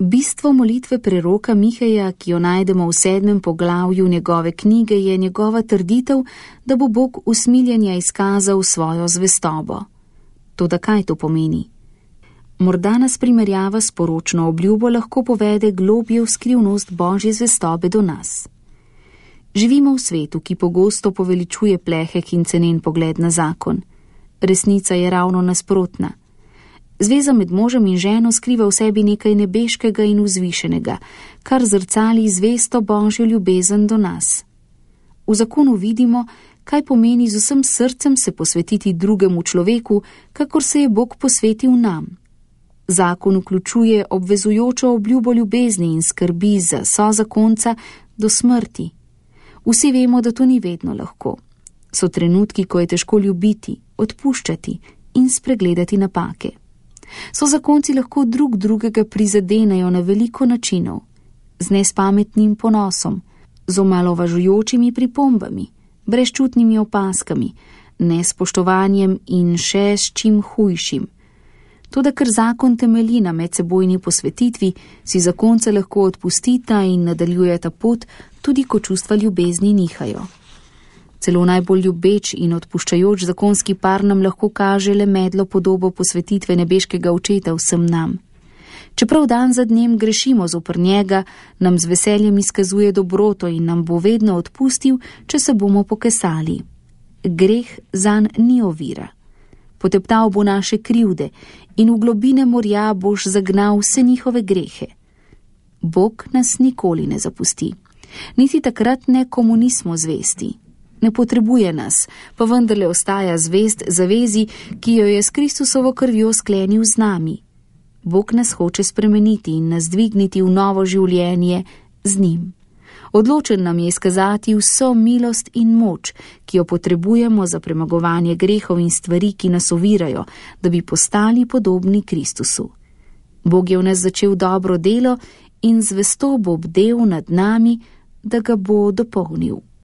Bistvo molitve preroka Miheja, ki jo najdemo v 7. poglavju njegove knjige, je njegova trditev, da bo Bog usmiljenja izkazal svojo zvestobo. Toda kaj to pomeni? Morda nas primerjava s poročno obljubo lahko povede globje v skrivnost Božje zvestobe do nas. Živimo v svetu, ki pogosto poveličuje plehek in cenen pogled na zakon. Resnica je ravno nasprotna. Zveza med možem in ženo skriva v sebi nekaj nebeškega in vzvišenega, kar zrcali zvesto Božjo ljubezen do nas. V zakonu vidimo, kaj pomeni z vsem srcem se posvetiti drugemu človeku, kakor se je Bog posvetil nam. Zakon vključuje obvezujočo obljubo ljubezni in skrbi za sozakonca do smrti. Vsi vemo, da to ni vedno lahko. So trenutki, ko je težko ljubiti, odpuščati in spregledati napake. Sozakonci lahko drug drugega prizadenejo na veliko načinov, z nespametnim ponosom, z omalovažujočimi pripombami, brezčutnimi opaskami, nespoštovanjem in še s čim hujšim. Toda ker zakon temelji na medsebojni posvetitvi, si zakonca lahko odpustita in nadaljujeta pot, tudi ko čustva ljubezni nihajo. Celo najbolj ljubeč in odpuščajoč zakonski par nam lahko kaže le medlo podobo posvetitve nebeškega očeta vsem nam. Čeprav dan za dnem grešimo zoper njega, nam z veseljem izkazuje dobroto in nam bo vedno odpustil, če se bomo pokesali. Greh zanj ni ovira. Poteptal bo naše krivde in v globine morja boš zagnal vse njihove grehe. Bog nas nikoli ne zapusti. Niti takrat ne, komu nismo zvesti. Ne potrebuje nas, pa vendarle ostaja zvest zavezi, ki jo je s Kristusovo krvjo sklenil z nami. Bog nas hoče spremeniti in nas dvigniti v novo življenje z njim. Odločen nam je izkazati vso milost in moč, ki jo potrebujemo za premagovanje grehov in stvari, ki nas ovirajo, da bi postali podobni Kristusu. Bog je v nas začel dobro delo in zvesto bo bdel nad nami, da ga bo dopolnil.